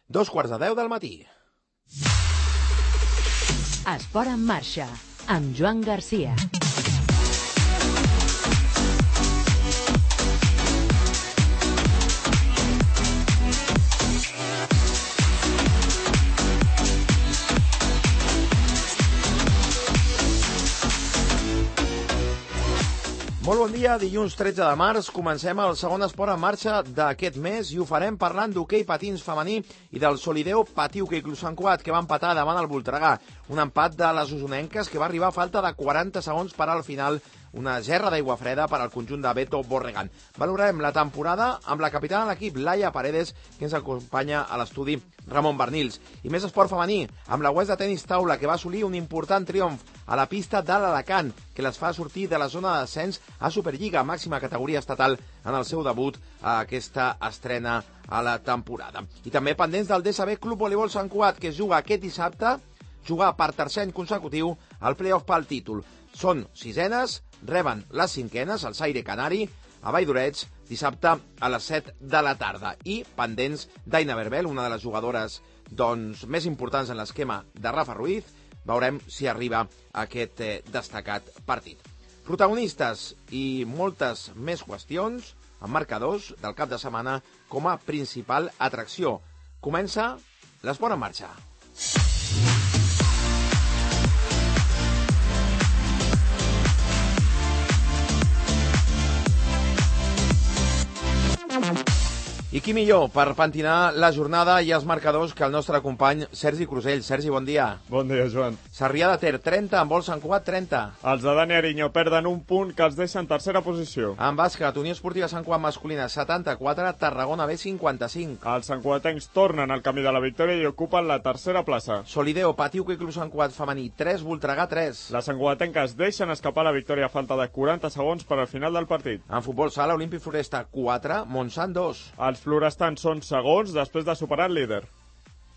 2:45 del matí. Esport en marxa, amb Joan Garcia. Molt bon dia, dilluns 13 de març, comencem el segon esport en marxa d'aquest mes i ho farem parlant d'hoquei patins femení i del Solideo Patí Hoquei Club Sant Cugat, que va empatar davant el Voltregà. Un empat de les osonenques que va arribar a falta de 40 segons per al final, una gerra d'aigua freda per al conjunt de Beto Borregan. Valorarem la temporada amb la capitana de l'equip, Laia Paredes, que ens acompanya a l'estudi Ramon Bernils. I més esport femení, amb la UES de tenis taula, que va assolir un important triomf a la pista de l'Alacant, que les fa sortir de la zona de descens a Superliga, màxima categoria estatal, en el seu debut a aquesta estrena a la temporada. I també pendents del DSB Club Voleibol Sant Cugat, que es juga aquest dissabte, jugar per tercer any consecutiu al play-off pel títol. Són sisenes, reben les cinquenes, el Saire Canari, a Valldoreix, dissabte a les 7 de la tarda. I pendents d'Aina Berbel, una de les jugadores més importants en l'esquema de Rafa Ruiz, veurem si arriba a aquest destacat partit. Protagonistes i moltes més qüestions amb marcadors del cap de setmana com a principal atracció. Comença l'esport en marxa. I qui millor per pentinar la jornada i els marcadors que el nostre company Sergi Crusell. Sergi, bon dia. Bon dia, Joan. Sarrià de Ter, 30, en vol Sant Cugat, 30. Els de Dani Ariño perden un punt que els deixa en tercera posició. En bàsquet, Unió Esportiva Sant Cugat masculina, 74, Tarragona B, 55. Els santcugatencs tornen al camí de la victòria i ocupen la tercera plaça. Solideo Patí Hoquei Club Sant Cugat femení, 3, Voltregà, 3. Les santcugatenques deixen escapar la victòria a falta de 40 segons per al final del partit. En futbol sala, Olímpic Floresta, 4, Montsant, 2. Els florestans són segons després de superar el líder.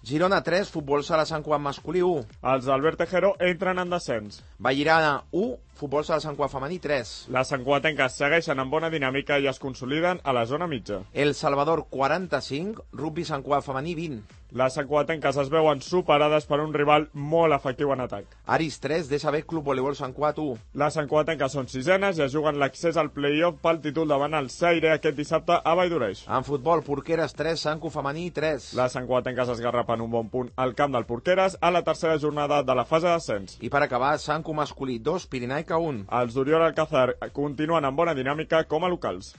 Girona 3, futbol sala Sant Cugat masculí 1. Els d'Albert Tejero entren en descens. Vallirana 1, futbol sala Sant Cugat femení 3. Les santcugatenques segueixen en bona dinàmica i es consoliden a la zona mitja. El Salvador 45, rugby Sant Cugat femení 20. Les santcugatenques es veuen superades per un rival molt efectiu en atac. Aris 3, DSB Club Voleibol Sant Cugat 1. Les santcugatenques són sisenes i es juguen l'accés al play-off pel títol davant el Saire aquest dissabte a Valldoreix. En futbol, Porqueres 3, Sant Cu femení 3. Les santcugatenques esgarrapen un bon punt al camp del Porqueres a la tercera jornada de la fase d'ascens. I per acabar, Sant Cu masculí 2, Pirinaica 1. Els d'Oriol Alcázar continuen amb bona dinàmica com a locals.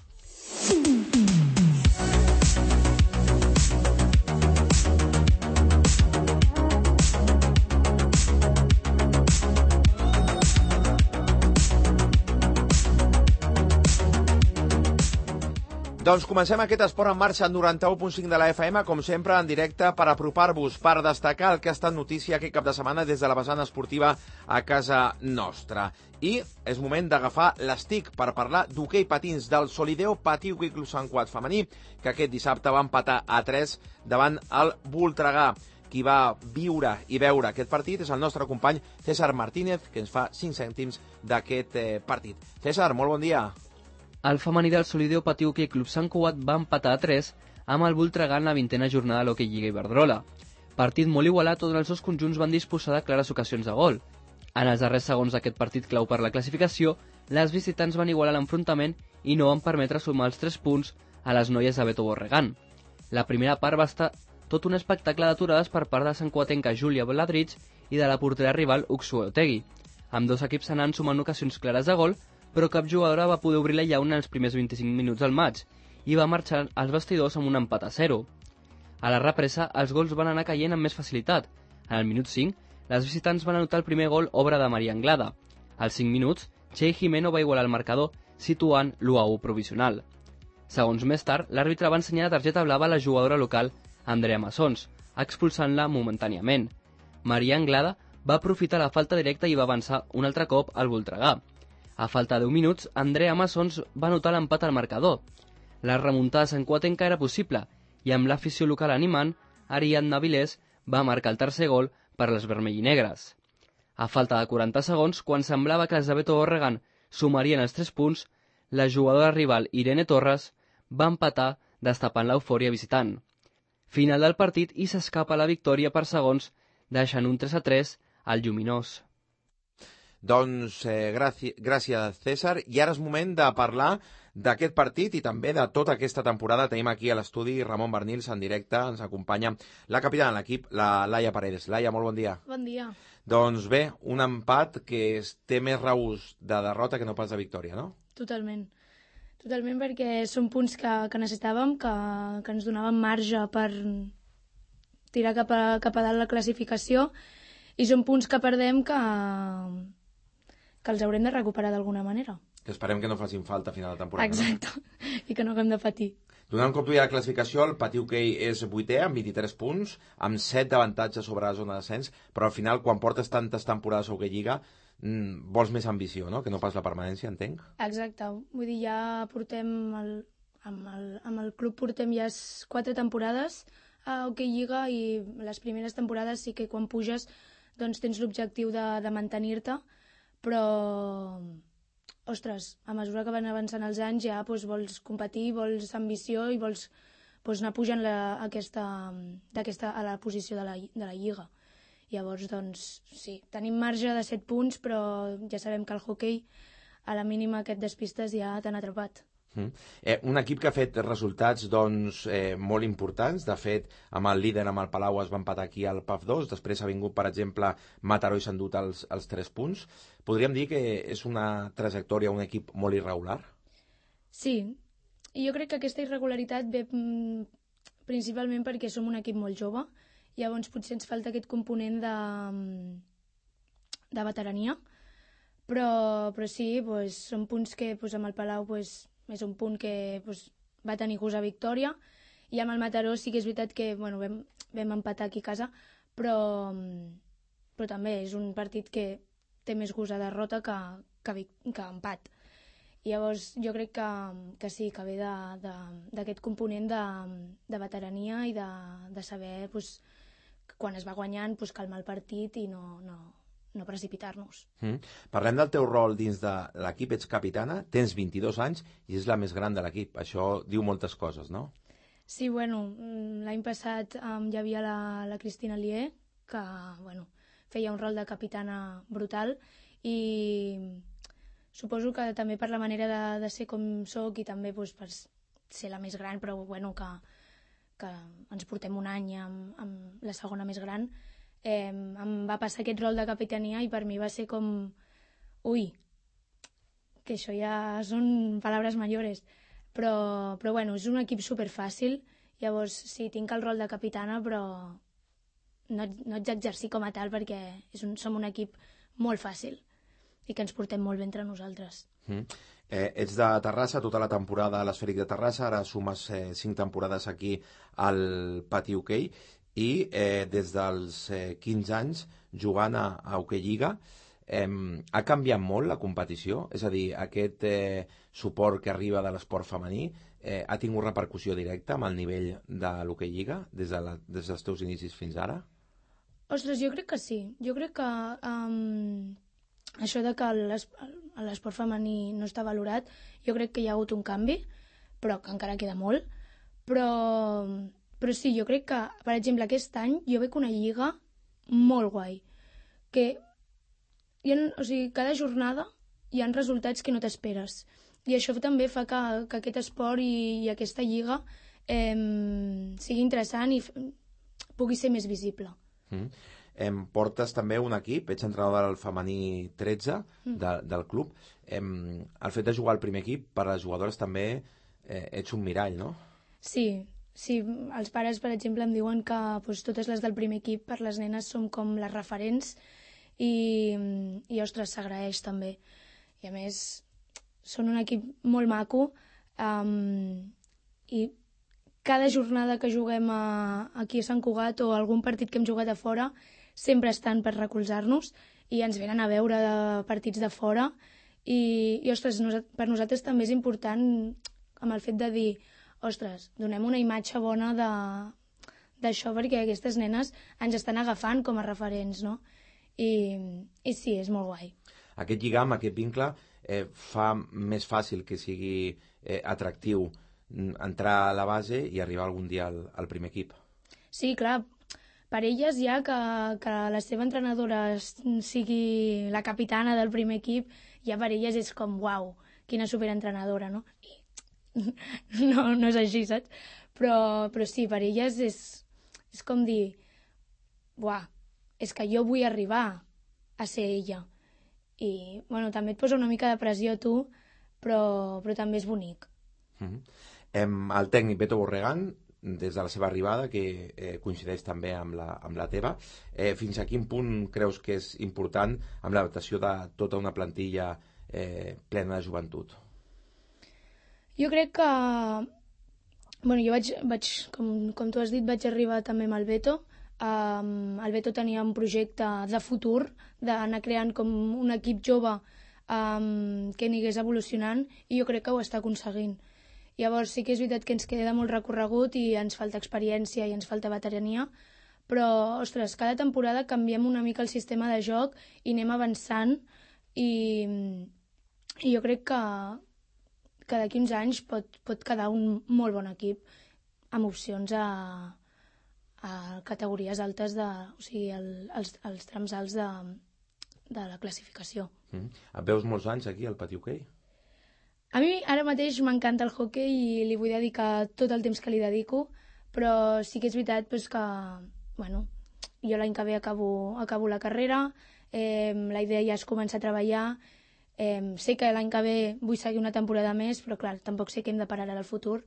Doncs comencem aquest esport en marxa en 91.5 de la FM, com sempre en directe per apropar-vos, per destacar el que ha estat notícia aquest cap de setmana des de la vessant esportiva a casa nostra. I és moment d'agafar l'estic per parlar d'hoquei patins del Solideo Patí Hoquei Club Sant Cugat femení, que aquest dissabte va empatar a 3 davant el Voltregà. Qui va viure i veure aquest partit és el nostre company César Martínez, que ens fa 5 cèntims d'aquest partit. César, molt bon dia. El femení del Solideo Patí Hoquei Club Sant Cugat va empatar a 3 amb el Voltregà en la 20a jornada de l'Hoquei Lliga Iberdrola. Partit molt igualat on els dos conjunts van disposar de clares ocasions de gol. En els darrers segons d'aquest partit clau per la classificació, les visitants van igualar l'enfrontament i no van permetre sumar els 3 punts a les noies de Beto Borregan. La primera part va estar tot un espectacle d'aturades per part de santcugatenca Júlia Bladrich i de la portera rival Uxue Otegui. Amb dos equips anant sumant ocasions clares de gol, però cap jugadora va poder obrir la llauna en els primers 25 minuts del maig i va marxar als vestidors amb un empat a 0. A la represa, els gols van anar caient amb més facilitat. En el minut 5, les visitants van anotar el primer gol obra de Maria Anglada. Als 5 minuts, Txell Jimeno va igualar el marcador, situant l'1-1 provisional. Segons més tard, l'àrbitre va ensenyar la targeta blava a la jugadora local, Andrea Massons, expulsant-la momentàniament. Maria Anglada va aprofitar la falta directa i va avançar un altre cop al Voltregà. A falta de 10 minuts, Andrea Massons va anotar l'empat al marcador. La remuntada santcugatenca era possible i amb l'afició local animant, Ariadna Vilés va marcar el tercer gol per les vermellinegres. A falta de 40 segons, quan semblava que els de Beto Borregan sumarien els 3 punts, la jugadora rival Irene Torres va empatar destapant l'eufòria visitant. Final del partit i s'escapa la victòria per segons, deixant un 3-3 al Lluminós. Doncs gràcies, César. I ara és moment de parlar d'aquest partit i també de tota aquesta temporada. Tenim aquí a l'estudi Ramon Bernils en directe. Ens acompanya la capitana de l'equip, la Laia Paredes. Laia, molt bon dia. Bon dia. Doncs bé, un empat que té més regust de derrota que no pas de victòria, no? Totalment. Totalment, perquè són punts que necessitàvem, que ens donaven marge per tirar cap a dalt la classificació, i són punts que perdem que els haurem de recuperar d'alguna manera. Que esperem que no facin falta a final de temporada. Exacte, no? I que no haguem de patir. Donant compte ja la classificació, el Patiu Hoquei és 8è amb 23 punts, amb 7 d'avantatge sobre la zona d'ascens, però al final, quan portes tantes temporades a Hoquei Lliga, vols més ambició, no? Que no pas la permanència, entenc? Exacte. Vull dir, ja portem... Amb el club portem ja 4 temporades a Hoquei Lliga, i les primeres temporades sí que quan puges doncs tens l'objectiu de mantenir-te, però, ostres, a mesura que van avançant els anys ja vols competir, vols ambició i vols anar pujant a la posició de la Lliga. Llavors, doncs, sí, tenim marge de 7 punts, però ja sabem que el hoquei, a la mínima que et despistes, ja t'han atrapat. Un equip que ha fet resultats doncs, molt importants. De fet, amb el líder, amb el Palau, es va empatar aquí al PAF 2. Després ha vingut, per exemple, Mataró i s'ha endut els 3 punts. Podríem dir que és una trajectòria, un equip molt irregular? Sí, i jo crec que aquesta irregularitat ve principalment perquè som un equip molt jove. Llavors potser ens falta aquest component de veterania. Però sí, són punts que amb el Palau és un punt que va tenir gust a victòria, i amb el Mataró sí que és veritat que vam empatar aquí a casa, però també és un partit que té més gust a derrota que empat. Llavors jo crec que sí, que ve d'aquest component de veterania i de saber quan es va guanyant calmar el partit i no precipitar-nos. Parlem del teu rol dins de l'equip. Ets capitana, tens 22 anys i és la més gran de l'equip. Això diu moltes coses, no? Sí, l'any passat hi havia la Cristina Lier, que feia un rol de capitana brutal, i suposo que també per la manera de ser com soc i també per ser la més gran, però que ens portem un any amb la segona més gran, em va passar aquest rol de capitania i per mi va ser com... Ui, que això ja són paraules mayores. Però és un equip superfàcil. Llavors, sí, tinc el rol de capitana, però no ets exercir com a tal perquè som un equip molt fàcil i que ens portem molt bé entre nosaltres. Ets de Terrassa, tota la temporada a l'Esfèric de Terrassa, ara sumes 5 temporades aquí al Patiu Hoquei, i des dels 15 anys jugant a Hoquei Lliga. Ha canviat molt la competició? És a dir, aquest suport que arriba de l'esport femení ha tingut repercussió directa amb el nivell de l'Hoquei Lliga des dels teus inicis fins ara? Ostres, jo crec que sí. Jo crec que això de que l'esport femení no està valorat, jo crec que hi ha hagut un canvi, però que encara queda molt. Però sí, jo crec que, per exemple, aquest any jo veig una lliga molt guai, que cada jornada hi ha resultats que no t'esperes. I això també fa que aquest esport i aquesta lliga sigui interessant i pugui ser més visible. Portes també un equip, ets entrenador del femení 13 del club. El fet de jugar al primer equip, per a les jugadores també ets un mirall, no? Sí, els pares, per exemple, em diuen que totes les del primer equip per les nenes som com les referents i ostres, s'agraeix també. I a més, són un equip molt maco i cada jornada que juguem aquí a Sant Cugat o algun partit que hem jugat a fora sempre estan per recolzar-nos i ens venen a veure de partits de fora i ostres, per nosaltres també és important amb el fet de dir ostres, donem una imatge bona d'això perquè aquestes nenes ens estan agafant com a referents, no? I sí, és molt guai. Aquest lligam, aquest vincle, fa més fàcil que sigui atractiu entrar a la base i arribar algun dia al primer equip. Sí, clar, per elles ja que la seva entrenadora sigui la capitana del primer equip, ja per elles és com, uau, quina superentrenadora, no? I no és així, saps? Però sí, per elles és com dir, uah, és que jo vull arribar a ser ella. I, bueno, també et posa una mica de pressió a tu, però també és bonic. El tècnic Beto Borregán, des de la seva arribada, que coincideix també amb la teva, fins a quin punt creus que és important amb l'adaptació de tota una plantilla plena de joventut? Jo crec que... Bueno, jo vaig com tu has dit, vaig arribar també amb el Beto. El Beto tenia un projecte de futur, d'anar creant com un equip jove que anirés evolucionant, i jo crec que ho està aconseguint. Llavors sí que és veritat que ens queda molt recorregut i ens falta experiència i ens falta veterania, però, ostres, cada temporada canviem una mica el sistema de joc i anem avançant, i jo crec que d'aquí uns anys pot quedar un molt bon equip amb opcions a categories altes, o sigui, els trams alts de la classificació. Et veus molts anys aquí al Patí Hoquei? A mi ara mateix m'encanta el hoquei i li vull dedicar tot el temps que li dedico, però sí que és veritat que, bueno, jo l'any que ve acabo la carrera, la idea ja és començar a treballar, sé que l'any que ve vull seguir una temporada més, però clar, tampoc sé què hem de parar ara al futur.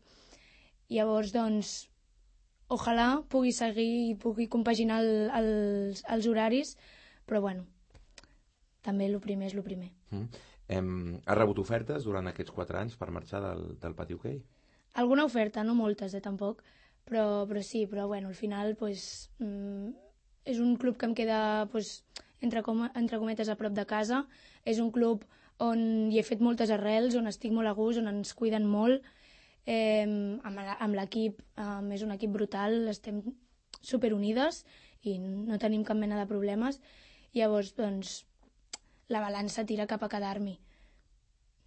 Llavors, doncs, ojalà pugui seguir i pugui compaginar els horaris, però bueno, també el primer és el primer. Has rebut ofertes durant aquests 4 anys per marxar del Patí Hoquei? Alguna oferta, no moltes, tampoc, però sí, però bueno, al final és un club que em queda entre cometes a prop de casa, és un club on hi he fet moltes arrels, on estic molt a gust, on ens cuiden molt, amb l'equip, és un equip brutal, estem superunides i no tenim cap mena de problemes. Llavors, doncs, la balança tira cap a quedar-m'hi.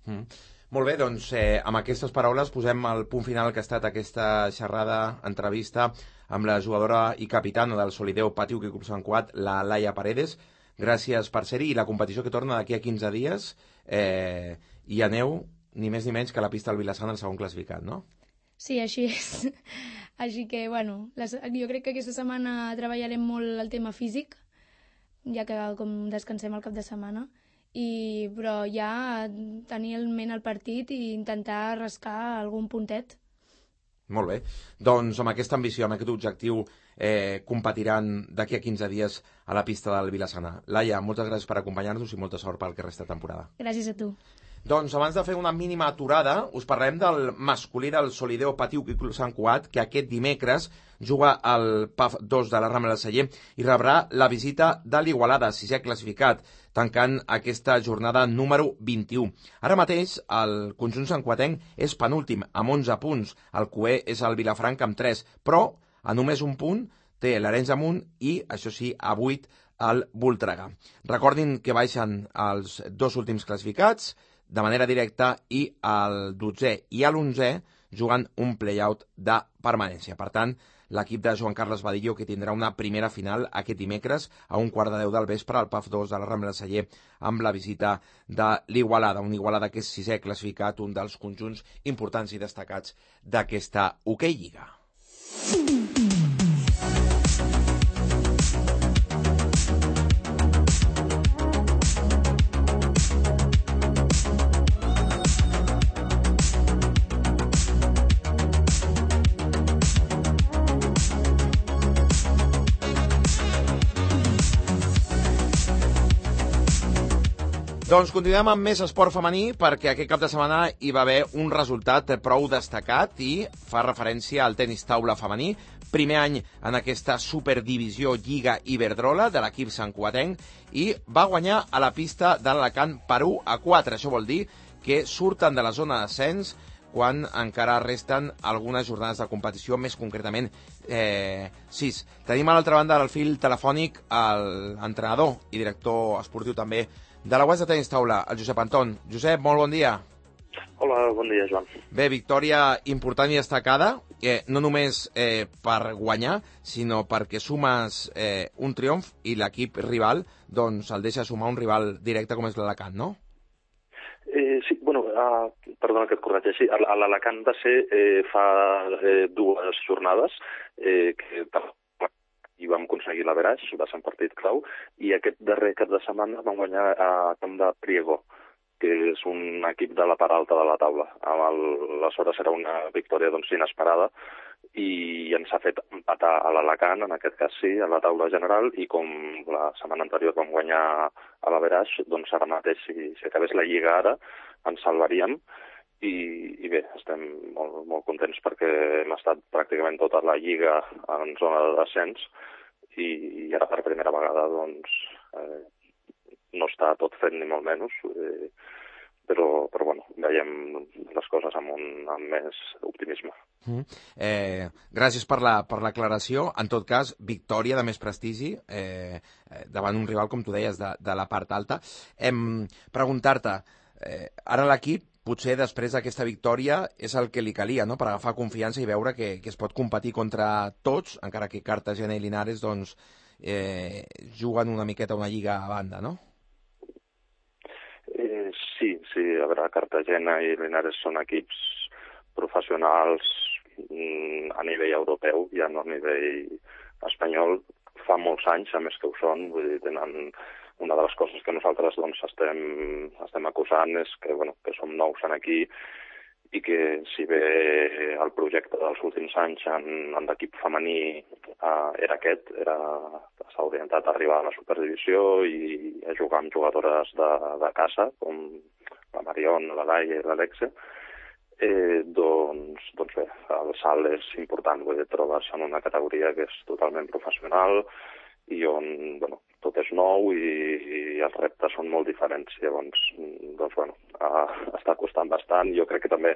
Molt bé, doncs amb aquestes paraules posem el punt final que ha estat aquesta xerrada, entrevista amb la jugadora i capitana del Solideo Patí Hoquei Club Sant Cugat, la Laia Paredes. Gràcies per ser-hi, i la competició que torna d'aquí a 15 dies i aneu ni més ni menys que a la pista del Vila-sana, el segon classificat, no? Sí, així és. Així que, bueno, jo crec que aquesta setmana treballarem molt el tema físic, ja que com descansem el cap de setmana, però ja tenir en ment el partit i intentar rascar algun puntet. Molt bé. Doncs amb aquesta ambició, amb aquest objectiu, competiran d'aquí a 15 dies a la pista del Vila-sana. Laia, moltes gràcies per acompanyar-nos i molta sort pel que resta de temporada. Gràcies a tu. Doncs abans de fer una mínima aturada, us parlem del masculí del Solideo Patí Hoquei Club Sant Cugat, que aquest dimecres juga al PAF 2 de la Rambla del Celler i rebrà la visita de l'Igualada, 6è classificat, tancant aquesta jornada número 21. Ara mateix el conjunt santcuatenc és penúltim, amb 11 punts. El coer és el Vilafranca amb 3, però a només un punt té l'Arenys de Munt i, això sí, a 8 el Voltregà. Recordin que baixen els 2 últims classificats de manera directa i el 12è i l'11è jugant un play-out de permanència. Per tant, l'equip de Joan Carles Badillo, que tindrà una primera final aquest dimecres a 1:15 del vespre al PAF 2 de la Rambla del Celler amb la visita de l'Igualada, un Igualada que és 6è classificat, un dels conjunts importants i destacats d'aquesta Hoquei Lliga. Doncs continuem amb més esport femení, perquè aquest cap de setmana hi va haver un resultat prou destacat i fa referència al tenis taula femení. Primer any en aquesta superdivisió Lliga Iberdrola de l'equip santcuatenc i va guanyar a la pista de l'Alacant per 1-4. Això vol dir que surten de la zona d'ascens quan encara resten algunes jornades de competició, més concretament 6. Tenim a l'altra banda del fil telefònic l'entrenador i director esportiu també de la UAS de tenis taula, el Josep Anton. Josep, molt bon dia. Hola, bon dia, Joan. Bé, victòria important i destacada, no només per guanyar, sinó perquè sumes un triomf i l'equip rival doncs el deixa sumar un rival directe com és l'Alacant, no? Sí, bueno, perdona que et corregeixi. L'Alacant va ser fa 2 jornades que i vam aconseguir l'averaix, va ser un partit clau, i aquest darrer cap de setmana vam guanyar a camp de Priego, que és un equip de la part alta de la taula. Aleshores era una victòria doncs, inesperada i ens ha fet empatar a l'Alacant, en aquest cas sí, a la taula general, i com la setmana anterior vam guanyar a l'averaix, doncs ara mateix, si acabés la Lliga ara, ens salvaríem. I bé, estem molt contents perquè hem estat pràcticament tota la Lliga en zona de descens i ara per primera vegada doncs, no està tot fet ni molt menys, però bueno, veiem les coses amb més optimisme. Gràcies per l'aclaració. En tot cas, victòria de més prestigi davant un rival, com tu deies, de la part alta. Preguntar-te, ara l'equip, potser després d'aquesta victòria, és el que li calia, no?, per agafar confiança i veure que es pot competir contra tots, encara que Cartagena i Linares doncs, juguen una miqueta una lliga a banda, no? Sí, a veure, Cartagena i Linares són equips professionals a nivell europeu, ja no a nivell espanyol. Fa molts anys, a més que ho són, vull dir, tenen una de les coses que nosaltres doncs, estem acusant és que, bueno, que som nous aquí i que si bé el projecte dels últims anys en l'equip femení era aquest, s'ha orientat a arribar a la superdivisió i a jugar amb jugadores de casa, com la Marion, la Laia i l'Alexe, doncs bé, el salt és important, vull dir, trobes en una categoria que és totalment professional i on, bueno, tot és nou i els reptes són molt diferents. Llavors, doncs, bueno, està costant bastant. Jo crec que també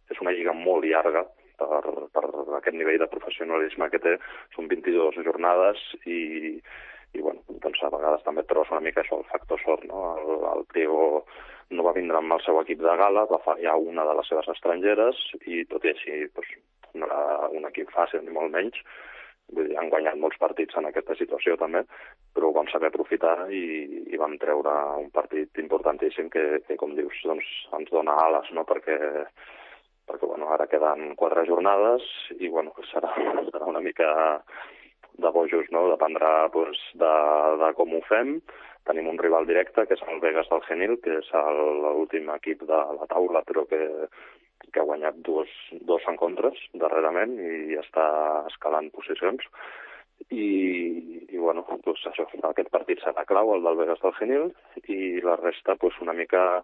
és una lliga molt llarga per aquest nivell de professionalisme que té. Són 22 jornades i bueno, doncs a vegades també trobes una mica això, el factor sort, no? El Priego no va vindre amb el seu equip de gala, va fallar una de les seves estrangeres i tot i així doncs, no era un equip fàcil ni molt menys. Vull dir, han guanyat molts partits en aquesta situació també, però ho vam saber aprofitar i vam treure un partit importantíssim que com dius, doncs, ens dona ales, no? Perquè bueno, ara queden 4 jornades i bueno, serà una mica de bojos, no? Dependrà doncs, de com ho fem. Tenim un rival directe, que és el Vegas del Genil, que és l'últim equip de la taula, però que ha guanyat dos encontres darrerament i està escalant posicions. I bueno, doncs això, aquest partit serà clau, el del Vegas del Genil, i la resta doncs, una mica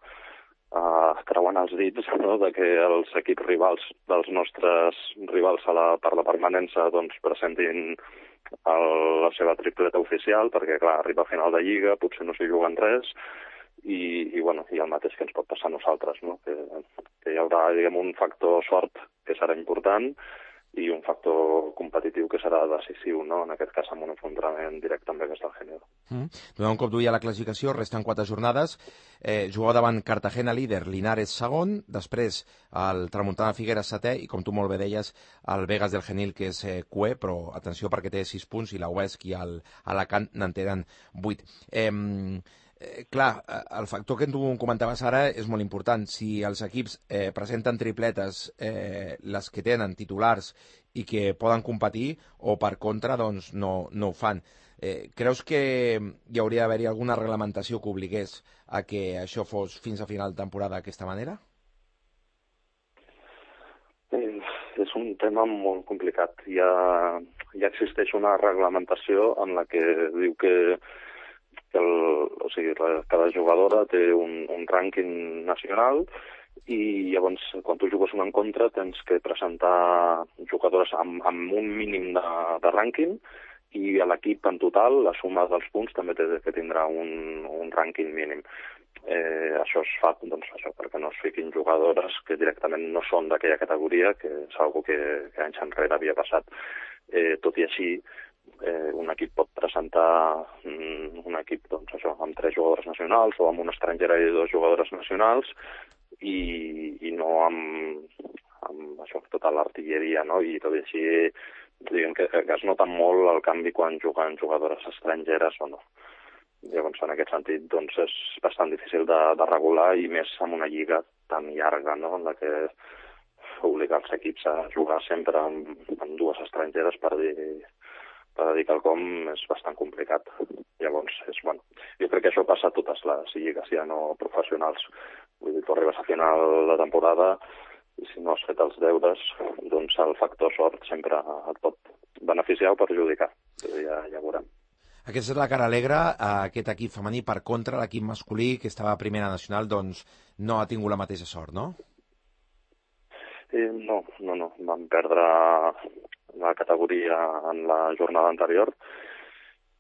creuant els dits, no?, de que els equips rivals dels nostres rivals per la permanència doncs, presentin la seva tripleta oficial, perquè clar, arriba a final de Lliga, potser no s'hi juguen res, i bueno, i el mateix que ens pot passar a nosaltres, no? Que hi haurà, diguem, un factor sort que serà important i un factor competitiu que serà decisiu, no? En aquest cas amb un enfrontament directe amb Vegas del Genil. Donar un cop d'ull a la classificació, resten 4 jornades, jugar davant Cartagena líder, Linares segon, després el Tramuntana Figueres setè i com tu molt bé deies el Vegas del Genil que és cué, però atenció perquè té 6 punts i la UESC i l'Alacant n'en tenen 8. Clar, el factor que tu comentaves ara és molt important. Si els equips presenten tripletes, les que tenen titulars i que poden competir, o per contra doncs no ho fan. Creus que hi hauria d'haver-hi alguna reglamentació que obligués a que això fos fins a final de temporada d'aquesta manera? És un tema molt complicat. Ja existeix una reglamentació en la que diu que cada jugadora té un rànquing nacional i llavors quan tu jugues un encontre tens que presentar jugadores amb un mínim de rànquing i a l'equip en total, la suma dels punts també té que tindrà un rànquing mínim. Això es fa doncs, perquè no es fiquin jugadores que directament no són d'aquella categoria, que és una que anys enrere havia passat. Tot i així, un equip pot presentar un equip doncs, amb 3 jugadores nacionals o amb una estrangera i 2 jugadores nacionals i no amb això, tota l'artilleria, no? I tot i així, diguem que es nota molt el canvi quan juguen jugadores estrangeres o no. Llavors, en aquest sentit, doncs, és bastant difícil de regular, i més amb una lliga tan llarga, no?, en la que obligar els equips a jugar sempre amb dues estrangeres per dir quelcom és bastant complicat. Llavors, jo crec que això passa a totes les lligues, ja no professionals. Vull dir, tu arribes a final de temporada i si no has fet els deures, doncs el factor sort sempre et pot beneficiar o perjudicar. Ja veurem. Aquesta és la cara alegre. Aquest equip femení, per contra, l'equip masculí, que estava a primera nacional, doncs no ha tingut la mateixa sort, no? No. Vam perdre la categoria en la jornada anterior.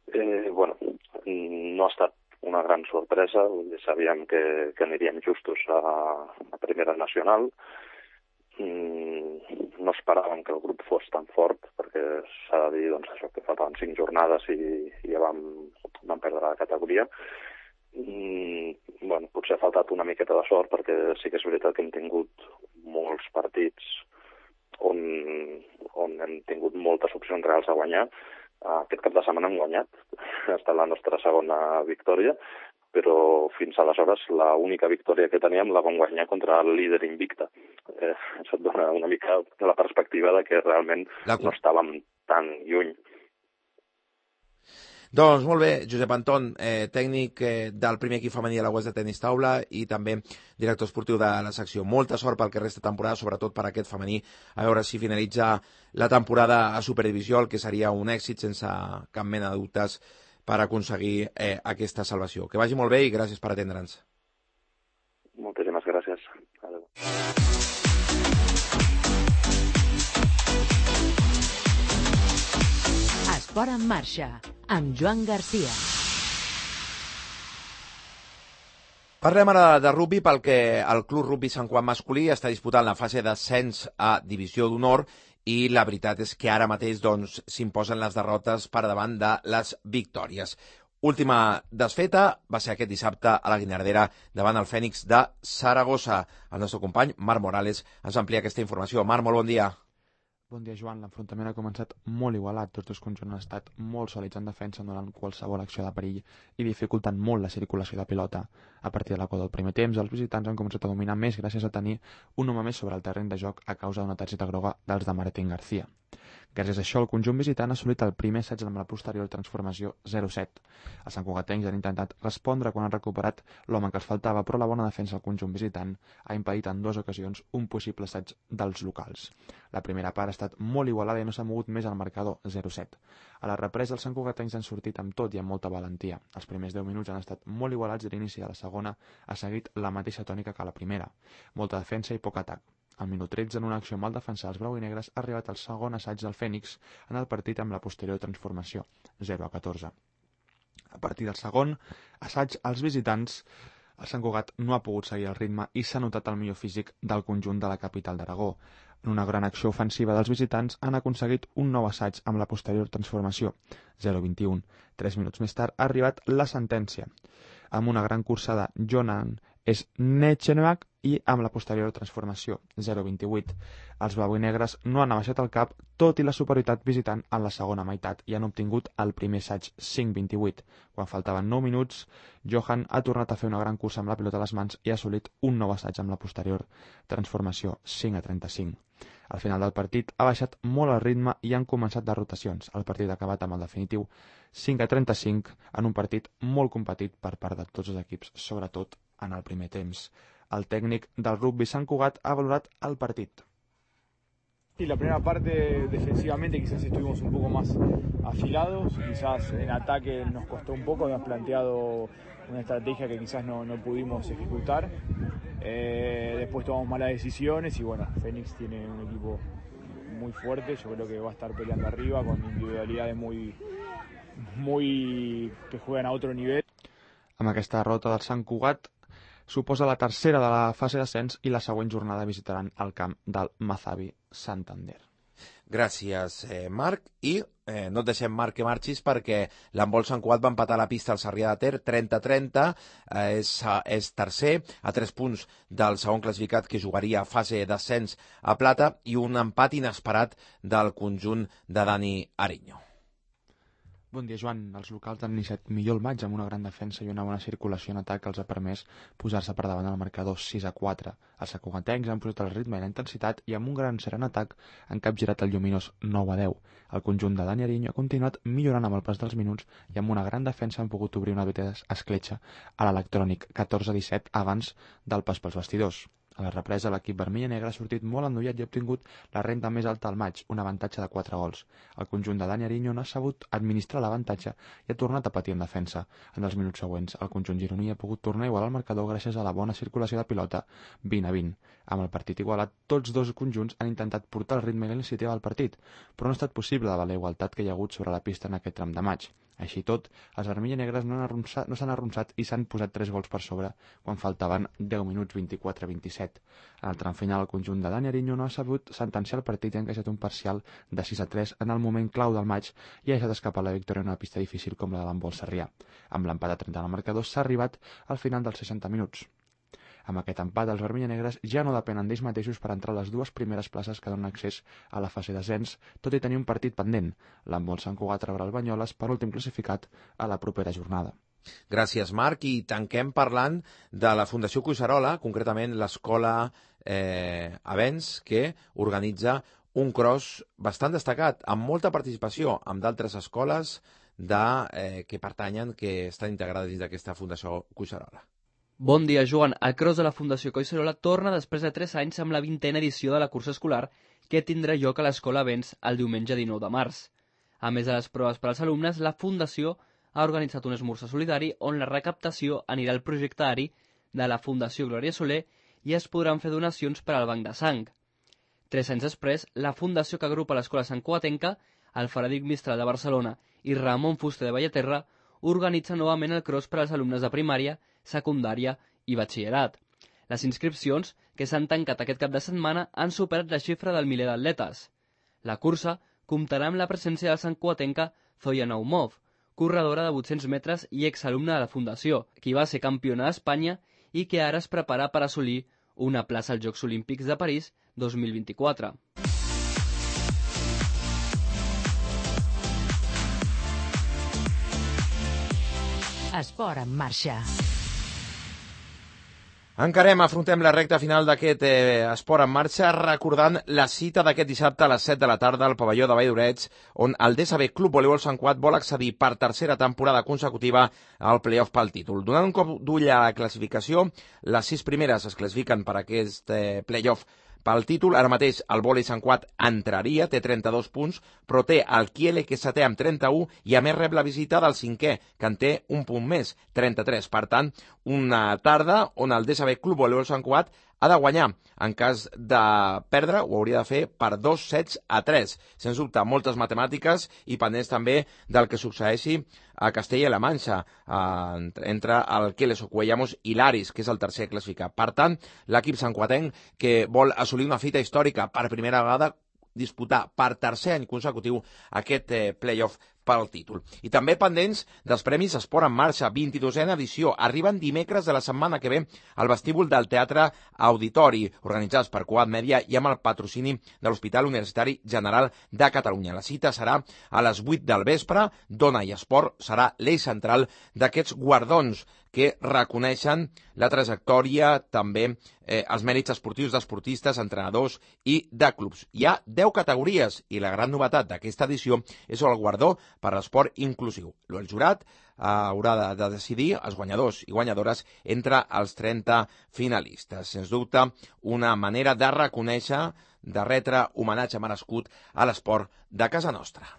No ha estat una gran sorpresa. Sabíem que aniríem justos a primera nacional. No esperàvem que el grup fos tan fort, perquè s'ha de dir, doncs, això, que faltaven 5 jornades i ja vam perdre la categoria. Potser ha faltat una miqueta de sort, perquè sí que és veritat que hem tingut molts partits on hem tingut moltes opcions reals a guanyar. Aquest cap de setmana hem guanyat. Ha estat la nostra segona victòria, però fins aleshores l'única victòria que teníem la vam guanyar contra el líder invicta. Això et dona una mica la perspectiva de que realment no estàvem tan lluny. Doncs molt bé, Josep Anton, tècnic del primer equip femení de la UES de tenis taula i també director esportiu de la secció. Molta sort pel que resta de temporada, sobretot per aquest femení, a veure si finalitza la temporada a Superdivisió, el que seria un èxit sense cap mena de dubtes per aconseguir aquesta salvació. Que vagi molt bé i gràcies per atendre'ns. Moltíssimes gràcies. Adéu. Esport en marxa, amb Joan Garcia. Parlem ara de rugby, perquè el Club Rugby Sant Cugat masculí està disputant la fase d'ascens a Divisió d'Honor i la veritat és que ara mateix s'imposen les derrotes per davant de les victòries. Última desfeta va ser aquest dissabte a la Guinardera davant el Fènix de Saragossa. El nostre company, Marc Morales, ens amplia aquesta informació. Marc, molt bon dia. Bon dia, Joan. L'enfrontament ha començat molt igualat. Tots dos conjunts han estat molt sòlids en defensa, donant qualsevol acció de perill i dificultant molt la circulació de pilota. A partir de la qual del primer temps, els visitants han començat a dominar més gràcies a tenir un home més sobre el terreny de joc a causa d'una targeta groga dels de Martín García. Gràcies a això, el conjunt visitant ha assolit el primer assaig amb la posterior transformació 0-7. Els santcugatencs han intentat respondre quan han recuperat l'home que els faltava, però la bona defensa del conjunt visitant ha impedit en 2 ocasions un possible assaig dels locals. La primera part ha estat molt igualada i no s'ha mogut més al marcador 0-7. A la represa, els santcugatencs han sortit amb tot i amb molta valentia. Els primers 10 minuts han estat molt igualats i l'inici de la segona ha seguit la mateixa tònica que la primera. Molta defensa i poc atac. Al minut 13, en una acció mal defensada, els blau i negres ha arribat el segon assaig del Fènix en el partit amb la posterior transformació, 0-14. A partir del segon assaig, els visitants, el Sant Cugat no ha pogut seguir el ritme i s'ha notat el millor físic del conjunt de la capital d'Aragó. En una gran acció ofensiva dels visitants han aconseguit un nou assaig amb la posterior transformació, 0-21. 3 minuts més tard ha arribat la sentència, amb una gran cursa de Jonan Snechenbach i amb la posterior transformació, 0-28. Els blau i negres no han abaixat el cap, tot i la superioritat visitant en la segona meitat, i han obtingut el primer assaig 5-28. Quan faltaven 9 minuts, Johan ha tornat a fer una gran cursa amb la pilota a les mans i ha assolit un nou assaig amb la posterior transformació, 5-35. Al final del partit ha baixat molt el ritme i han començat les rotacions. El partit ha acabat amb el definitiu 5-35 en un partit molt competit per part de tots els equips, sobretot en el primer temps. El técnico del rugby Sant Cugat ha valorat el partido. Sí, la primera parte defensivamente quizás estuvimos un poco más afilados, quizás en ataque nos costó un poco, hemos planteado una estrategia que quizás no pudimos ejecutar, después tomamos malas decisiones y bueno, Fénix tiene un equipo muy fuerte, yo creo que va a estar peleando arriba con individualidades muy que juegan a otro nivel. Amb aquesta derrota del Sant Cugat suposa la tercera de la fase d'ascens i la següent jornada visitaran el camp del Mazavi Santander. Gràcies, Marc. I no et deixem, Marc, que marxis, perquè l'handbol Sant Cugat va empatar la pista al Sarrià de Ter 30-30, és tercer a 3 punts del segon classificat, que jugaria a fase d'ascens a plata, i un empat inesperat del conjunt de Dani Ariño. Bon dia, Joan. Els locals han iniciat millor el maig amb una gran defensa i una bona circulació en atac que els ha permès posar-se per davant del marcador 6-4. Els sacugatencs han posat el ritme i la intensitat i amb un gran seran atac han capgirat el lluminós 9-10. El conjunt de Dani Ariño ha continuat millorant amb el pas dels minuts i amb una gran defensa han pogut obrir una petita escletxa a l'electrònic 14-17 abans del pas pels vestidors. A la represa, l'equip vermell i negre ha sortit molt endollat i ha obtingut la renda més alta al maig, un avantatge de 4 gols. El conjunt de Dani Ariño no ha sabut administrar l'avantatge i ha tornat a patir en defensa. En els minuts següents, el conjunt gironí ha pogut tornar a igualar el marcador gràcies a la bona circulació de pilota 20-20. Amb el partit igualat, tots dos conjunts han intentat portar el ritme i la iniciativa del partit, però no ha estat possible davant la igualtat que hi ha hagut sobre la pista en aquest tram de maig. Així tot, els vermells i negres no s'han arronsat i s'han posat 3 gols per sobre quan faltaven 10 minuts 24-27. En el tram final, el conjunt de Dani Ariño no ha sabut sentenciar el partit i ha encaixat un parcial de 6-3 en el moment clau del maig i ha deixat escapar la victòria en una pista difícil com la de l'handbol sarrià. Amb l'empat a 30 en el marcador s'ha arribat al final dels 60 minuts. Amb aquest empat, els vermells i negres ja no depenen d'ells mateixos per entrar a les 2 primeres places que donen accés a la fase d'ascens, tot i tenir un partit pendent. L'handbol Sant Cugat rebrà el Banyoles, penúltim classificat, a la propera jornada. Gràcies, Marc. I tanquem parlant de la Fundació Collserola, concretament l'escola Avens, que organitza un cross bastant destacat, amb molta participació, amb d'altres escoles que pertanyen, que estan integrades dins d'aquesta Fundació Collserola. Bon dia, Joan. El cross de la Fundació Collserola torna després de 3 anys amb la 20a edició de la cursa escolar que tindrà lloc a l'Escola Avens el diumenge 19 de març. A més de les proves per als alumnes, la Fundació ha organitzat un esmorzar solidari on la recaptació anirà al projecte ARI de la Fundació Glòria Soler i es podran fer donacions per al banc de sang. 3 anys després, la Fundació que agrupa l'Escola Sant Cugatenca, el Frederic Mistral de Barcelona i Ramon Fuster de Bellaterra organitza novament el cross per als alumnes de primària, secundària i batxillerat. Les inscripcions, que s'han tancat aquest cap de setmana, han superat la xifra del miler d'atletes. La cursa comptarà amb la presència del santcugatenca Zoya Naumov, corredora de 800 metres i exalumna de la Fundació, qui va ser campiona d'Espanya i que ara es prepara per assolir una plaça als Jocs Olímpics de París 2024. Esport en marxa. Afrontem la recta final d'aquest Esport en marxa, recordant la cita d'aquest dissabte a les 7 de la tarda al pavelló de Vall d'Orets, on el DSB Club Voleibol Sant Cugat vol accedir per tercera temporada consecutiva al play-off pel títol. Donant un cop d'ull a la classificació, les 6 primeres es classifiquen per aquest play-off pel títol. Ara mateix el vòlei Sant Cugat entraria, té 32 punts, però té el Kiele, que és setè amb 31, i a més rep la visita del cinquè, que en té un punt més, 33. Per tant, una tarda on el DSB Club Voleibol Sant Cugat ha de guanyar. En cas de perdre, ho hauria de fer per 2 sets a 3. Sens dubte, moltes matemàtiques i pendents també del que succeeixi a Castella i la Manxa, entre el Keles Ocuellamos i l'Aris, que és el tercer classificat. Per tant, l'equip santcugatenc, que vol assolir una fita històrica per primera vegada, disputar per tercer any consecutiu aquest play-off pel títol. I també pendents dels Premis Esport en Marxa, 22a edició. Arriben dimecres de la setmana que ve al vestíbul del Teatre Auditori, organitzats per Cugat Mèdia i amb el patrocini de l'Hospital Universitari General de Catalunya. La cita serà a les 8 del vespre. Dona i esport serà l'eix central d'aquests guardons que reconeixen la trajectòria, també els mèrits esportius d'esportistes, entrenadors i de clubs. Hi ha 10 categories i la gran novetat d'aquesta edició és el guardó per l'esport inclusiu. El jurat haurà de decidir els guanyadors i guanyadores entre els 30 finalistes. Sens dubte, una manera de reconèixer, de retre homenatge merescut a l'esport de casa nostra.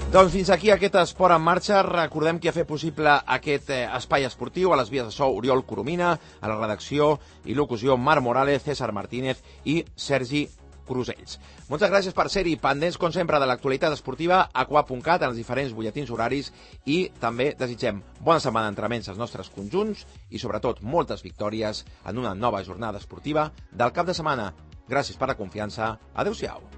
Doncs fins aquí aquest Esport en Marxa. Recordem que ha fet possible aquest espai esportiu a les vies de so Oriol Coromina, a la redacció i locució Marc Morales, César Martínez i Sergi Crusells. Moltes gràcies per ser-hi, pendents, com sempre, de l'actualitat esportiva a qua.cat, en els diferents butlletins horaris, i també desitgem bona setmana d'entrenaments als nostres conjunts i, sobretot, moltes victòries en una nova jornada esportiva del cap de setmana. Gràcies per la confiança. Adéu-siau.